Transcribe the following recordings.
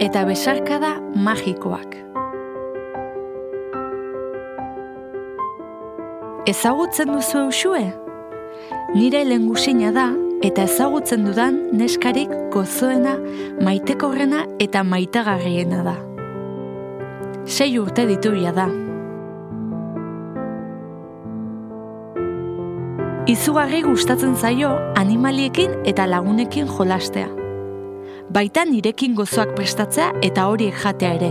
eta besarkada magikoak. Ezagutzen duzu Uxue? Nire lehengusina da eta ezagutzen dudan neskarik gozoena, maitekorrena eta maitagarriena da. 6 urte dituia da. Izugarri gustatzen zaio animaliekin eta lagunekin jolastea. Baita nirekin gozoak prestatzea eta horiek jatea ere.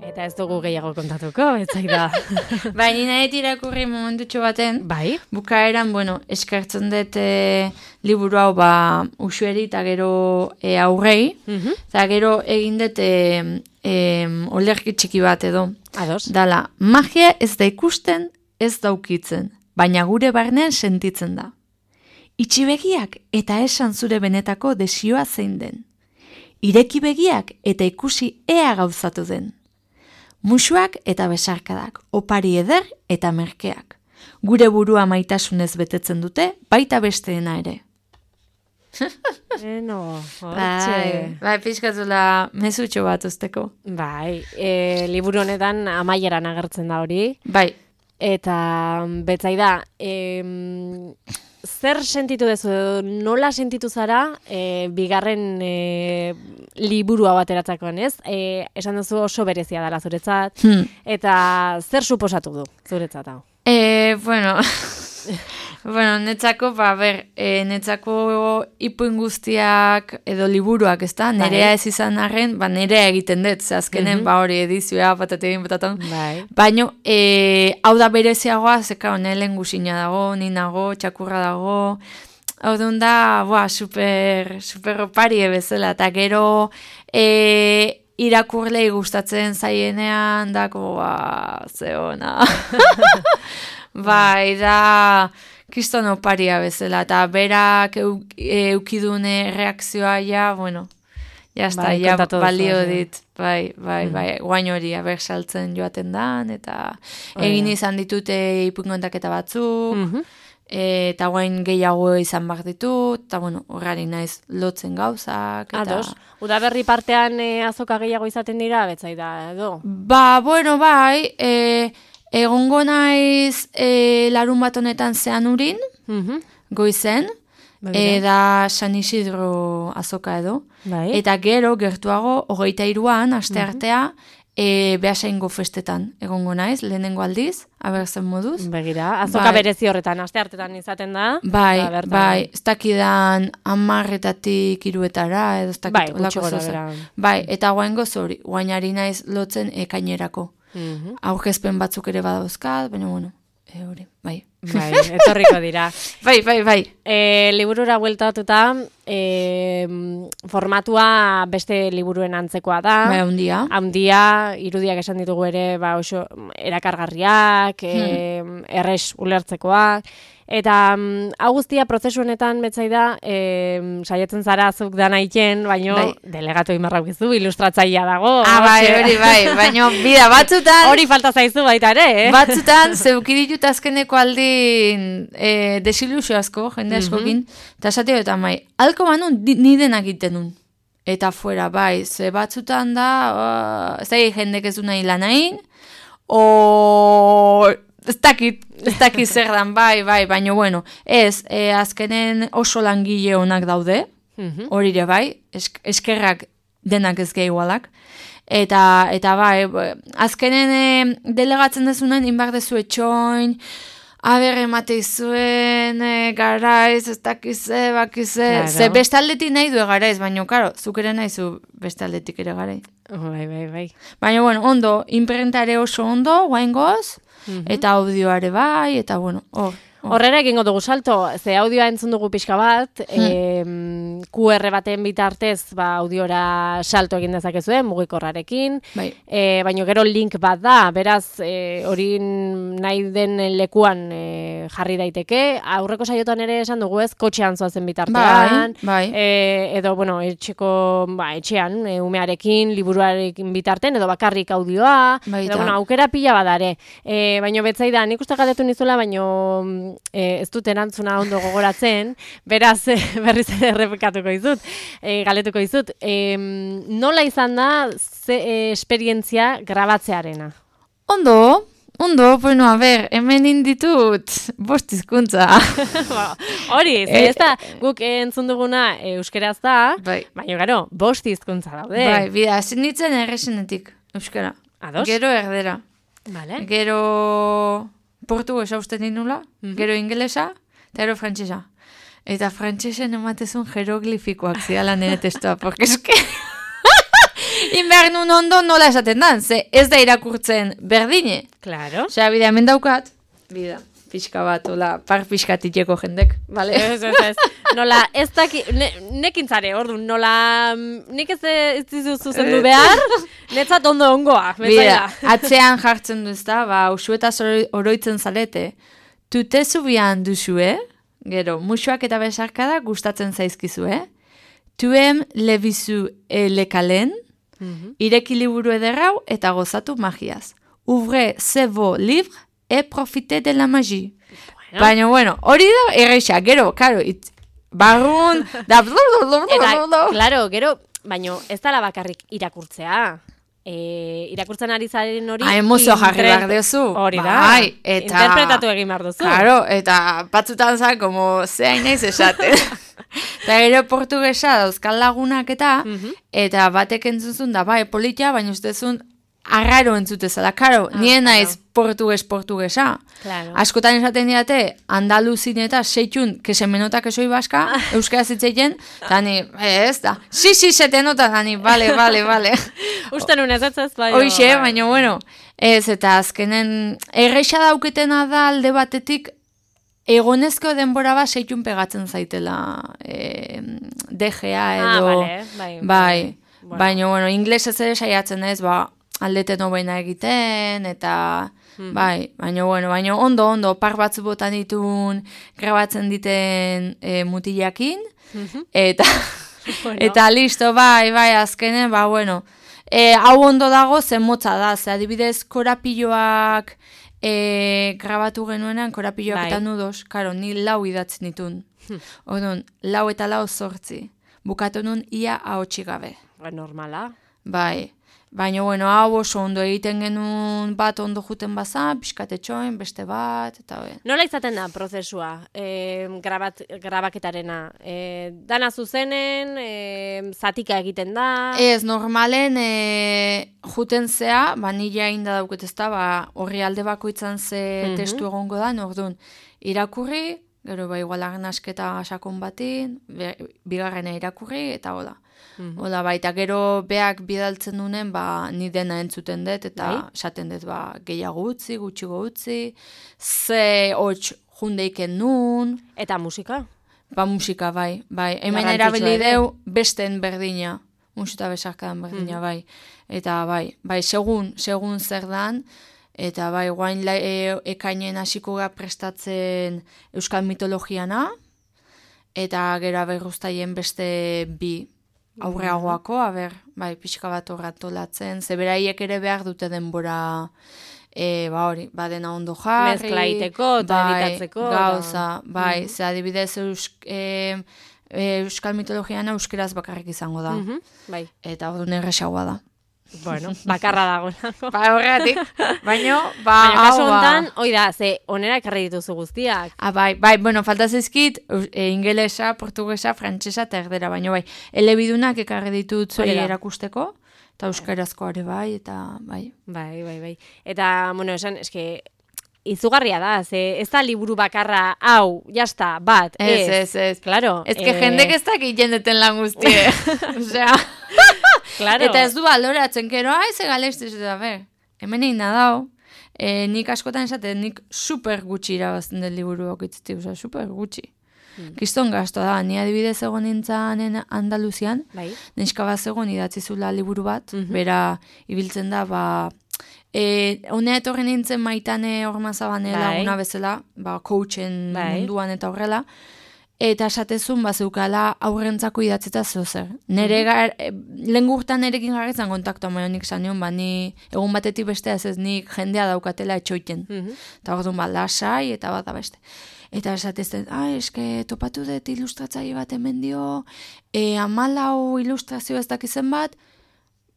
Eta ez dugu gehiago kontatuko, etzai da. Bai, nina irakurri momentutxo baten, Bai. bukaeran, eskertzen dut liburu hau Uxueri eta gero aurrei, eta gero egin dut olerki txiki bat edo. Ados. Dala, magia ez da ikusten, ez daukitzen, baina gure barnean sentitzen da. Itxi begiak eta esan zure benetako desioa zein den. Ireki begiak eta ikusi ea gauzatu den. Musuak eta besarkadak, opari eder eta merkeak. Gure burua maitasunez betetzen dute, baita besteena ere. Bai, pixkatula mezutxo bat usteko. Bai, liburu honetan amaieran agertzen da hori. Bai. Eta betzai da, zer sentitu dezu, nola sentitu zara bigarren liburua bateratzakoan, ez? Esan duzu oso berezia dela zuretzat, eta zer suposatu du zuretzat hau? Netzako, netzako ipuin guztiak edo liburuak, ez da? Nerea ez izan arren, nerea egiten dut, ze azkenen, hori edizioa, patategin. Baina, hau da bereziagoa, zeka, nelen guzina dago, ninago, txakurra dago, hau duen da, super opari bezala, eta gero, irakurlei gustatzen zaienean, dako, ze ona. Bai, da... Kriston oparia bezala, eta berak eukidune reakzioa balio dit, guain hori saltzen joaten dan, eta egin izan ditute ipungontaketa batzuk, eta guain gehiago izan behar ditut, eta horrari naiz lotzen gauzak. Ados, udaberri partean azoka gehiago izaten dira, betzai da, edo? Egongo naiz larun bat honetan Zeanurin, goizen, da San Isidro azoka edo. Eta gero, gertuago, 23an, aste artea, Beasaingo festetan egongo naiz, lehenengo aldiz, abertzen moduz. Begira, azoka berezi horretan, aste artetan izaten da. Bai, ez dakidan 10-etatik 3-etara, edo ez dakit olako zozen. Bai, eta guain gozori, guainari naiz lotzen ekainerako. Aurkezpen batzuk ere badauzkat, baina hori, bai. Bai, etorriko dira. Bai. Liburura bueltatuta, formatua beste liburuen antzekoa da. Bai, haundia, irudiak esan ditugu ere, oso erakargarriak, erres ulertzekoak. Eta hau guztia prozesu honetan betzai da, saietzen zara zuk dana iten, baino delegatu imarrak bizu, ilustratzailea dago. Hori, baino bida batzutan... Hori falta zaizu baita ere, Batzutan, zeukiditut azkeneko aldin desilusio asko, jende askokin, eta esatio eta alko manun, ni denak iten nun. Eta fuera, ze batzutan da, ez da jendek ez du nahi lanain, ez dakit zer dan, baina azkenen oso langile onak daude, hori ere eskerrak denak ez gehiagoalak, eta azkenen delegatzen dezunen, inbar dezu etxoin, emate izuen, garaiz, ez dakize, bakize, ze bestaldetik nahi du garaiz, baina, zuk ere nahi zu bestaldetik ere garaiz. Bai. Baina, ondo, imprentare oso ondo, guaingoz, eta audioare eta Horrera egingo dugu salto, ze audioa entzun dugu pixka bat, QR baten bitartez audiora salto egin dezakezuen, mugikorrarekin, baina gero link bat da, beraz hori nahi den lekuan jarri daiteke, aurreko saiotan ere esan dugu ez, kotxean zoazen bitartean, edo, bueno, etxean, umearekin, liburuarekin bitarten, edo bakarrik audioa, edo, bueno, aukera pila badare. Baina betzaida, nik uste galdetu nizuela, baina ez dut erantzuna ondo gogoratzen, beraz, berriz ere errepikatuko izut, galdetuko izut. Nola izan da esperientzia grabatzearena? Ondo, bueno, a ver, hemen inditut 5 hizkuntza. Hori, ez da, guk entzun duguna euskeraz da, baina gero, 5 hizkuntza daude. Bai, bida, zinitzen erresenetik, euskara. Ados? Gero erdera. Vale. Gero portugesa uste ninula, gero ingelesa, eta gero frantsesa. Eta frantsesen ematezun jeroglifikoak ziala nire testoa, porque eske... Inbehar nun ondo nola esaten dan, ze ez da irakurtzen berdine. Claro. Osea, bida, hemen daukat, bida, pixka bat, ola, par pixkatiteko jendek, bale? Ez. Nola, ez daki, nekin zare, orduan, nola, nik ez dizu zuzendu behar, netzat ondo ongoa. Bida, atzean jartzen duzta, usuetaz oroitzen zarete, tutezu bian duzue, gero, musuak eta besarkada gustatzen zaizkizue, tuem lebizu lekalen, ireki liburu ederrau eta gozatu magiaz. Ouvrez vos livres et profitez de la magie. Baina, bueno, hori da erreixa, gero, karo, barrun, da... Eta, klaro, gero, baina ez dala bakarrik irakurtzea. Irakurtzen ari zaren hori... emozio jarri behar duzu. Hori da, interpretatu egin behar duzu. Claro, eta batzutan za, como zehain naiz esaten. Eta gero portugesa dauzkal lagunak eta batek entzuzun da, politia, baina ustezun arraro entzutezala. Karo, nien naiz portugesa. Claro. Askotan esaten diate, andaluzin eta seitun, que se menota que soy vasca, euskara zitzeien, eta ni, ez da, si, se te nota, eta ni, vale. Uste nun ez, Hoxe, baina, bueno, ez, eta azkenen, erreixa dauketena da alde batetik, egonezko denbora bat seitun pegatzen zaitela DGA edo... Bai. Baina, bueno, inglesez ere saiatzen ez, aldeten hobena egiten, eta... Bai, baina, ondo, par batzu botan ditun, grabatzen diten mutilakin, eta listo, bai, azkenen, hau ondo dago zen motza da, ze adibidez korapilloak... grabatu genuenan, korapilloak eta nudos, karo, ni 4 idatzen ditun. Odun, 4 eta 8. Bukatu nun ia ahotsi gabe. Normala. Bai. Baina, hau oso ondo egiten genuen bat ondo juten baza, pixkatetxoen, beste bat, eta hori. Nola izaten da prozesua, grabaketarena? Dana zuzenen, zatika egiten da? Ez, normalen juten zea, nila inda dauket ez da, horri alde bakoitzan ze testu egongo da, orduan, irakurri, gero igual asketa sakon batin, bigarrena irakurri, eta hola. Hola, eta gero beak bidaltzen dunen, ni dena entzuten dut, eta esaten dut, gehiago utzi, gutxigo utzi, ze hotx jundeiken nun. Eta musika? Musika, bai. Hemen erabili deu besten berdina, musika besarkadan berdina, bai. Eta segun zer dan, eta guain ekainen hasiko gara prestatzen euskal mitologiana, eta gero berruztaien beste 2 aurreagoako, pixka bat horratolatzen, zeberaiek ere behar dute denbora, dena ondo jarri. Mezklaiteko eta editatzeko. Gauza, ze adibidez euskal mitologiana euskeraz bakarrik izango da. Eta hori nerresagoa da. Bueno, bakarra dago. Horregatik. Baina, kasu honetan, ze onera ekarri dituzu guztiak. Falta zizkit, ingelesa, portugesa, frantsesa eta erdera, baina elebidunak ekarri ditut zuei erakusteko, eta euskarazko are eta bai. Eta, esan, eske, izugarria da, ez da liburu bakarra, hau, jasta, bat, ez. Claro. Ez que jendek ez dakit jendeten lan guztie. Osea... Claro. Eta ez du baloratzen, kero, ze galestiz, eta hemen egin dau, nik askotan esaten, nik super gutxi irabazten del liburu okitzetik, super gutxi. Kiston gazto da, ni adibidez egon nintzanen Andaluzian, neska bat egon idatzizula liburu bat, bera ibiltzen da, honea etorren nintzen Maitane Ormazabanela una bezala, coachen munduan eta horrela, eta esatezun bazeukala aurrentzako idatzeta zozer. Lehen gurtan nerekin jarretzen kontaktua maionik zan nion, ni egun batetik bestea ez nik jendea daukatela etxoiten. Eta orduan lasai eta bat beste. Eta esatezen, eske topatu dut ilustratzaile bat hemen dio, 14 ilustrazio ez dakizen bat,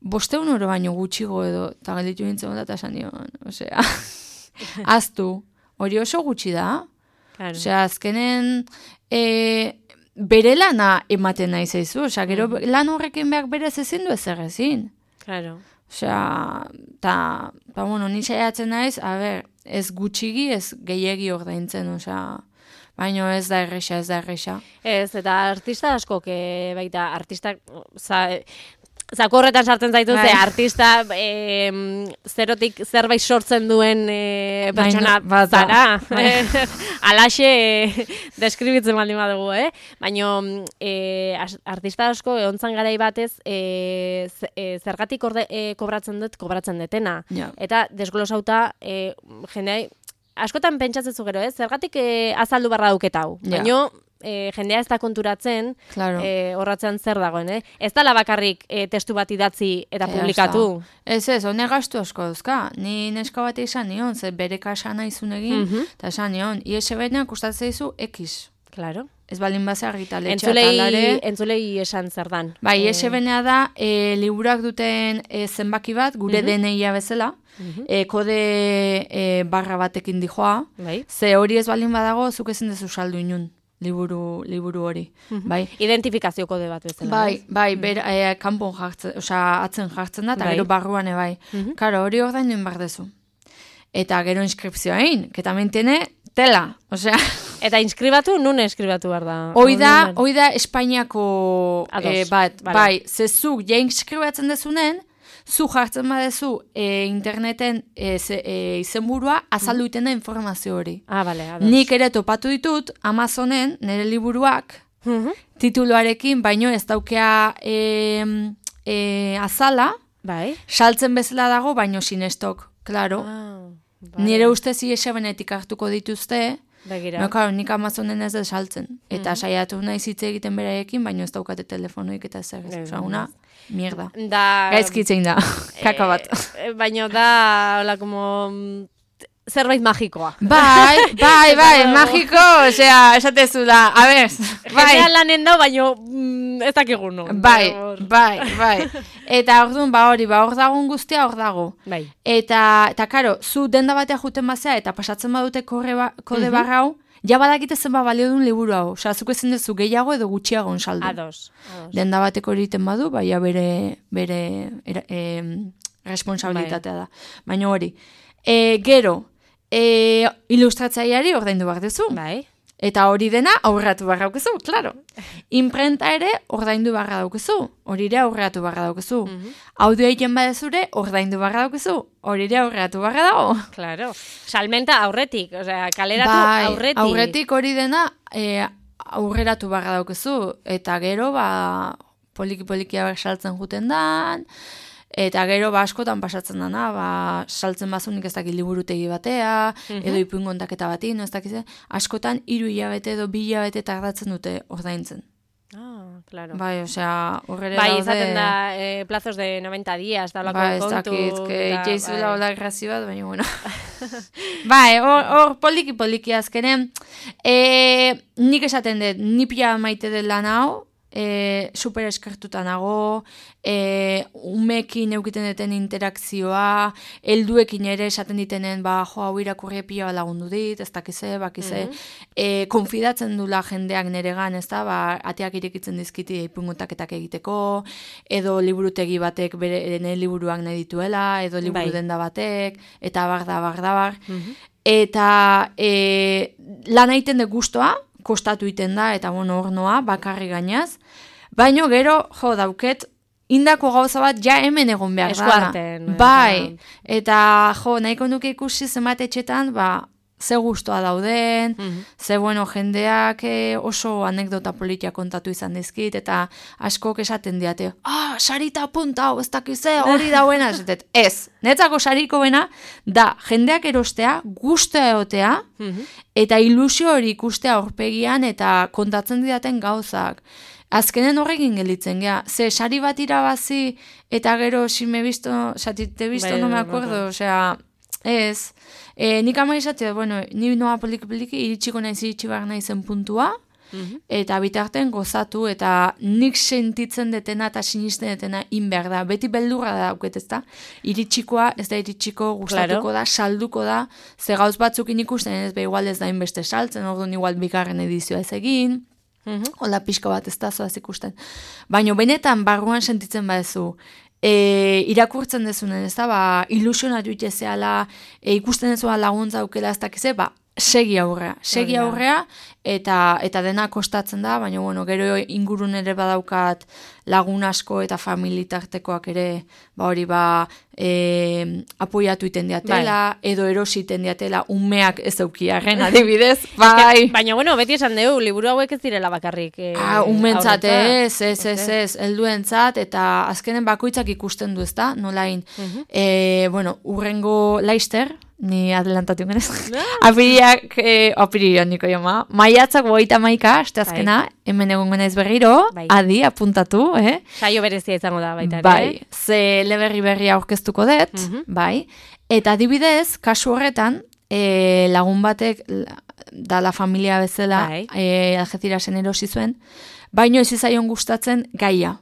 500 euro baino gutxigo edo, eta galditu nintzen bat esan nion, osea, aztu, hori oso gutxi da, osea, azkenen, bere lana ematen nahi zaizu, osea, gero lan horrekin behar berez ezin du ezer ezin. Claro. Osea, eta, ni saiatzen naiz, ez gutxigi, ez gehiegi ordaintzen, osea, baina ez da erresa. Ez, eta artista askok, baita, artistak, zakorretan sartzen zaitu, ze artista zerotik zerbait sortzen duen pertsona zara. Alaxe deskribitzen baldin badugu, Baina artista asko egontzan garai batez zergatik kobratzen detena. Eta desglosauta jendea askotan pentsatzen zu gero, zergatik azaldu barra dauketau. Baina jendea ez da konturatzen horratzean zer dagoen, Ez da bakarrik testu bat idatzi eta publikatu. Ez, hone gastu asko dauzka. Ni neska bat izan nion, ze bere kasa nahizun egin, eta esan nion, ISBN kustatzen izu X. Claro. Ez balin baza argitaletxea talare. Entzulei esan zer dan. Bai, ISBN-a da, liburuak duten zenbaki bat, gure DNI-a bezala, kode barra batekin dijoa, ze hori ez balin badago, zuk ezin dezu saldu inun. Liburu hori. Identifikazio kode bat bezala. Bai, kanpon jartzen, atzen jartzen da, eta gero barruan bai. Karo, hori ordaindu inbar dezu. Eta gero inskripzioa egin, que también tiene tela, osea. Eta inskribatu, nun inskribatu behar da? Hoi da Espainiako bat, bai, zezuk ja inskribatzen dezunen, zu jartzen badezu interneten izenburua azaldu iten da informazio hori. Bale, ados. Nik ere topatu ditut Amazonen nire liburuak tituluarekin, baino ez daukea azala, saltzen bezala dago, baino sinestok, klaro. Nire ustez ISBN-etik hartuko dituzte, nik Amazonen ez da saltzen. Eta saiatu nahi zitze egiten beraiekin, baino ez daukate telefonoik eta zer. Osa, una mierda. Gaizkitzen da, kaka bat. Baina da, hola, como zerbait magikoa. Bai, magiko, osea, esatezula, a ber, bai. Genea lanen da, baina ez dakigun no. Bai. Eta orduan, hor dagoen guztia hor dago. Bai. Eta karo, zu denda batea juten bazea, eta pasatzen badute kode barra hau, ja badakite zenba balio duen liburu hau. Osa, zuk ezin dezu gehiago edo gutxiago saldu. Ados. Denda bateko egiten badu, baina bere responsabilitatea da. Baina hori. Gero, ilustratzaileari ordaindu behar duzu. Bai. Eta hori dena aurratu barra daukezu, klaro. Imprenta ere ordaindu barra daukezu. Hori ere aurratu barra daukezu. Audio egiten badezure ordaindu barra daukezu. Hori ere aurratu barra dago. Claro. Salmenta aurretik, osea, kaleratu aurretik. Aurretik hori dena aurreratu barra daukezu. Eta gero, poliki-polikia saltzen juten dan. Eta gero askotan pasatzen dana, saltzen bazunik ez dakit liburutegi batea, edo ipuingontaketa bati, ez dakize, askotan 3 hilabete edo 2 hilabete tardatzen dute ordaintzen. Claro. Bai, osea, horrere daude... Bai, izaten da, plazos de 90 días, da olako kontu. Bai, ez dakit, jeizula hola grazio bat, baina, bueno. Bai, hor poliki azkenen, nik esaten dut, nipia maite dut lan hau, super eskertuta nago, umekin eukiten duten interakzioa, helduekin ere esaten ditenen, hau irakurri pila lagundu dit, ez dakize, konfidatzen dula jendeak neregan, ez da, ateak irekitzen dizkiti ipungotaketak egiteko, edo liburutegi batek bere liburuak nahi dituela, edo liburu denda batek, eta bar. Eta lan egiten dut gustoa, kostatu iten da, eta hor noa, bakarri gainaz. Baina gero, dauket, indako gauza bat ja hemen egon behar da. Eskuarten. Bai, eta nahiko nuke ikusi zenbat etxetan, ze gustoa dauden, ze bueno, jendeak oso anekdota politia kontatu izan dizkit, eta askok esaten diate, sarita apunta, ez dakize, hori dauena, ez, netzako sariko bena, da, jendeak erostea, gustoa egotea, eta ilusio hori ikustea aurpegian, eta kontatzen didaten gauzak. Azkenen horrekin gelitzen, ze sari bat irabazi, eta gero, si te he visto, no me acuerdo, osea, ez, nik ama izatea, bueno, ni noa poliki-poliki, iritsiko iritsi behar naizen puntua, eta bitarten gozatu, eta nik sentitzen detena eta sinisten detena inber da, beti beldurra da dauket, ez da, iritsikoa, ez da iritsiko, gustatuko da, salduko da, ze gauz batzukin ikusten, ez igual ez da inbeste saltzen, orduan igual bigarren edizioa ez egin, hola pixka bat ez da zoaz ikusten. Baina benetan barruan sentitzen badezu, irakurtzen dezunen, ez da, ilusionatu itezeala, ikusten dezua laguntza aukela ez dakize, segi aurrea, eta dena kostatzen da, baina bueno, gero ingurun ere badaukat lagun asko eta familitartekoak ere, apoiatu iten diatela, edo erositen diatela, umeak ez aukiarren adibidez, bai. Baina bueno, beti esan dugu, liburu hauek ez direla bakarrik. Umentzat ez, helduentzat, eta azkenen bakoitzak ikusten du, ez da, nolain. Bueno, urrengo Laister, ni adelantatu genez. Apiriak niko joma. Maiatzak 31, aste azkena, hemen egon genez berriro, adi, apuntatu, Saio berezia izango da baita. Bai, ze berria aurkeztuko dut, bai. Eta adibidez, kasu horretan, lagun batek, da la familia bezala, Algecirasen erosi zuen, baino ez izaion gustatzen gaia.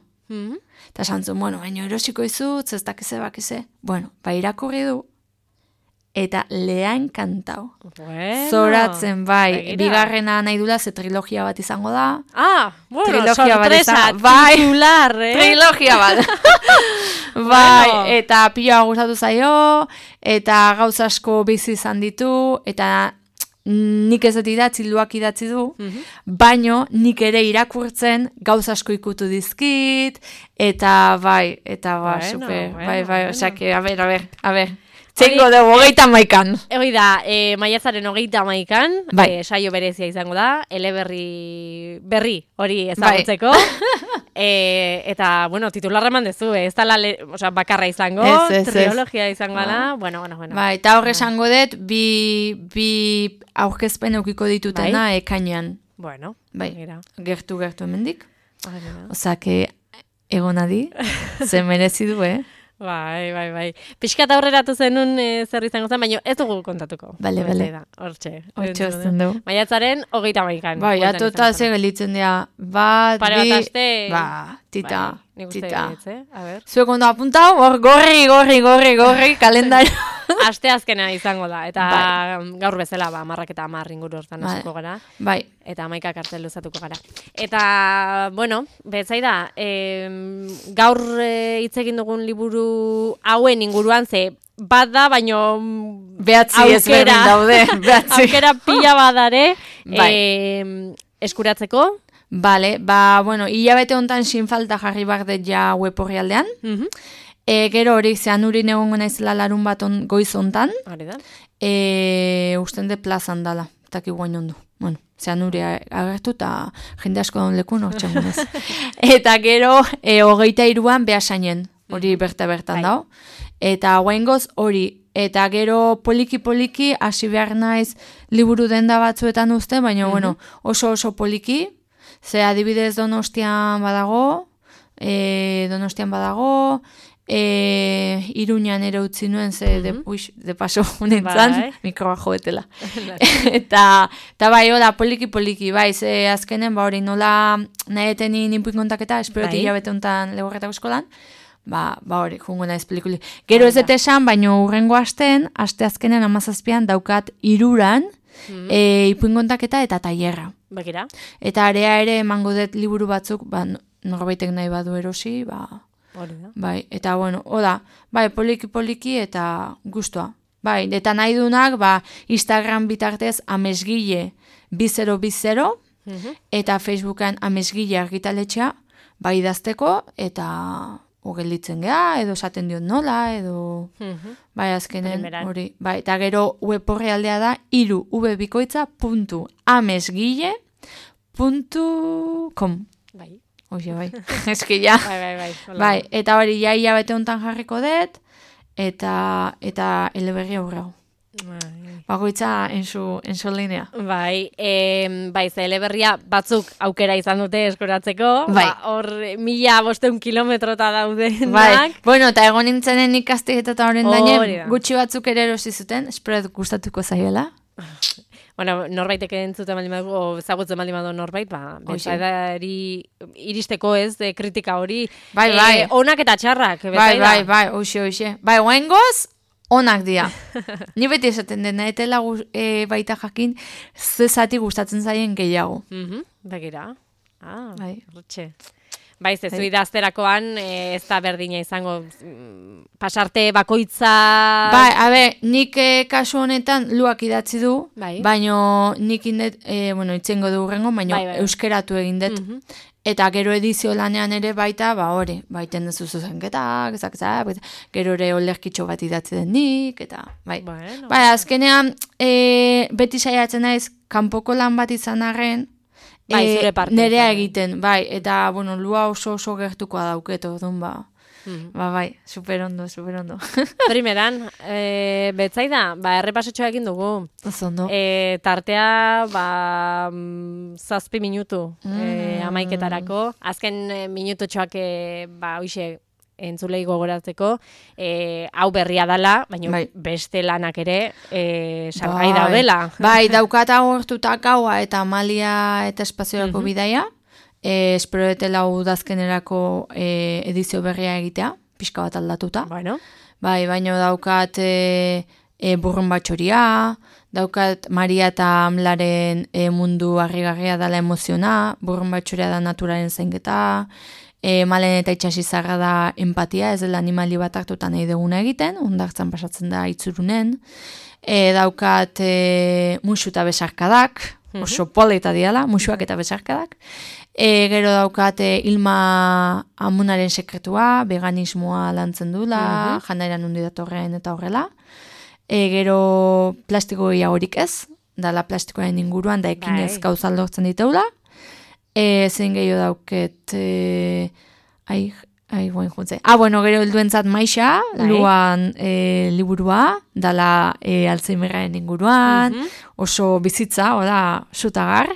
Eta santzun, bueno, baino erosiko izut, ez dakize bakize. Bueno, irakurri du, eta lea enkantau. Zoratzen, bai, bigarrena nahi dula, ze trilogia bat izango da. Bueno, sorpresa, titular, Trilogia bat. Bai, eta pila gustatu zaio, eta gauz asko bizi izan ditu, eta nik ez dut idatzi du, baino nik ere irakurtzen gauz asko ikutu dizkit, eta bai, super, bai, osake, a ber. Txengo dugu, 31. Hori da, maiatzaren 31, saio berezia izango da, berri hori ezagutzeko. Eta, bueno, titularra eman dezu, ez da bakarra izango, trilogia izango da, bueno. Bai, eta horre esango dut, bi aurkezpen eukiko ditutena ekainean. Bueno, bai, gertu hemendik. Osake, egonadi, ze merezi du, Bai. Piskat aurreratu zenun zer izango zen, baina ez dugu kontatuko. Bale. Hortxe ezten dugu. Maiatzaren 31. Bai, atota ze gelitzen dira. Bat, pare bat aste. Tita. Zuek ondo apuntau, hor gorri, kalendario. Aste azkena izango da, eta gaur bezala, 10 inguru hortan hasiko gara. Bai. Eta 11 kartel luzatuko gara. Eta, bueno, betzaida, gaur hitz egin dugun liburu hauen inguruan, ze bat da, baino behatzi ezberdin daude. Aukera pila badare eskuratzeko. Bale, bueno, hilabete hontan sin falta jarri bardet ja web horrialdean. Gero hori zeanurin egongo naizela larun bat goiz hontan. Usten de plazan dala, eta ki guain ondu. Bueno, zeanuri agertu eta jende asko daun lekun hortxen gunez. Eta gero 23an Beasainen, hori bertan dao. Eta guaingoz hori, eta gero poliki hasi behar naiz liburu denda batzuetan uste, baina bueno, oso poliki, ze adibidez Donostian badago, Iruñan ere utzi nuen, ze de paso nintzen, mikroa joetela. Eta bai, hola, poliki, bai, ze azkenen, hori nola nahi eteni ninpuin kontaketa, esperoti hilabete honetan legorretako eskolan, hori, jungo naiz pelikuli. Gero ez dut esan, baino urrengo aste azkenen 17an daukat 3 ipuin kontaketa eta tailerra. Begira. Eta area ere emango dut liburu batzuk, norbaitek nahi badu erosi, bai, eta bueno, oda, bai, poliki eta gustoa. Bai, eta nahi dunak, Instagram bitartez amesgile 2020, eta Facebookan amesgile argitaletxea, bai idazteko, eta gelditzen geha, edo esaten diot nola, edo bai azkenen hori. Bai, eta gero web orrialdea da irubikoitza.amesguille.com. Bai. Oie, bai. Eski ja. Bai, eta hori ja bete hontan jarriko dut, eta eleberri aurrau. Bagoitza enzu linea. Bai, ze eleberria batzuk aukera izan dute eskoratzeko. Bai. Hor 1500 kilometrota daudenak. Bai, bueno, eta egon nintzenen ikastik eta horren daine, gutxi batzuk ere erosi zuten, espero gustatuko zaioela. Bueno, norbaitek entzuten baldin badu, o ezagutzen baldin badu norbait, betzaidari iristeko kritika hori. Bai. Onak eta txarrak, betzaida. Bai, hoxe. Bai, oengoz, onak dira. Ni beti esaten dena, etela baita jakin, zezati gustatzen zaien gehiago. Begira. Bai. Rutxe. Bai, zezu idazterakoan ez da berdina izango pasarte bakoitza... Bai, nik kasu honetan luak idatzi du, baino nik indet, itzengo du urrengo, baino euskeratu egin dut. Eta gero edizio lanean ere baita, hori, baiten dezu zuzenketak, gero ere olerkitxo bat idatzi den nik, eta bai. Bai, azkenean, beti saiatzen naiz, kanpoko lan bat izan arren, nerea egiten, bai, eta, lua oso gertukoa dauketo, bai, super ondo. Primeran, betzaida, errepasotxoa egin dugu. Ozondo. Tartea, 7 minutu amaiketarako. Azken minutotxoak, hoxe, entzulei gogoratzeko, hau berria dela, baina beste lanak ere salgai daudela. Bai, daukata hortutak gaua eta Amalia eta Espaziorako bidaia, espero etela udazkenerako edizio berria egitea, pixka bat aldatuta. Bai, baina daukat burrun batxoria, daukat Maria eta Amlaren mundu harrigarria dela emoziona, burrun batxoria da naturaren zainketa, Malen eta itxasizarra da empatia, ez dela animali bat hartutan nahi duguna egiten, ondartzan pasatzen da itzurunen. Daukat musu eta besarkadak, oso polita diala, musuak eta besarkadak. Gero daukat Ilma Amunaren sekretua, veganismoa lantzen dula, janairan hundi datorren eta horrela. Gero plastiko gehiagorik ez, dala plastikoaren inguruan, da ekinez gauza lortzen diteula. Zein gehiago dauket, guen juntze. Gero helduentzat Maixa, luan liburua, dala Alzheimerraren inguruan, oso bizitza, zutagar.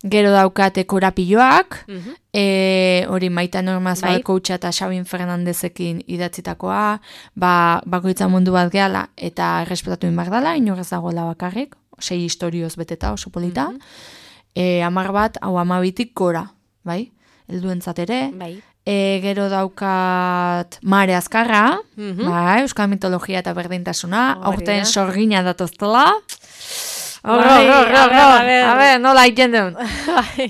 Gero daukate korapilloak, hori Maita Normaz coacha eta Xabin Fernandezekin idatzitakoa, bakoitza mundu bat gehala eta errespetatu inbar dela, inorez dagoela bakarrik, 6 historioz beteta oso polita. 10 bat, 12tik gora, bai? Helduentzat ere. Gero daukat Mare Azkarra, euskal mitologia eta berdintasuna, aurten sorgina datoztela. Horro, nola egiten duen.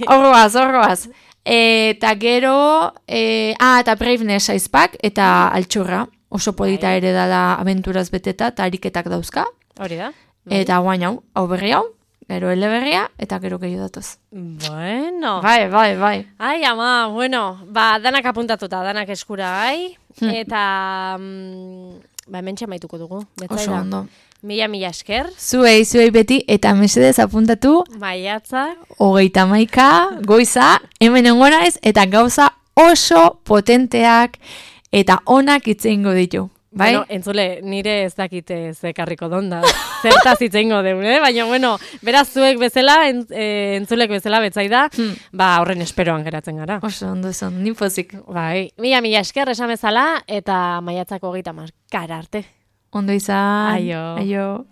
Horroaz. Eta gero, eta Braveness aizpak, eta Altxurra, oso polita ere dala abenturaz beteta, eta ariketak dauzka. Hori da. Eta guain hau berri hau. Gero eleberria, eta gero gehiago datoz. Bueno. Bai. Ai, ama, danak apuntatuta, danak eskura, eta, hementxe maituko dugu. Oso ondo. Mila esker. Zuei beti, eta mesedez apuntatu. Maiatza. 31 goiza, hemen engona ez, eta gauza oso potenteak, eta onak itzeingo ditu. Bai? Bueno, entzule, nire ez dakite zekarriko donda. Zertaz itzeingo deun, baina, beraz zuek bezala, entzulek bezala betzaida, horren esperoan geratzen gara. Oso, ondo esan, nipozik. Bai, mila esker esan bezala, eta maiatzako 30 arte. Ondo izan. Aio. Aio.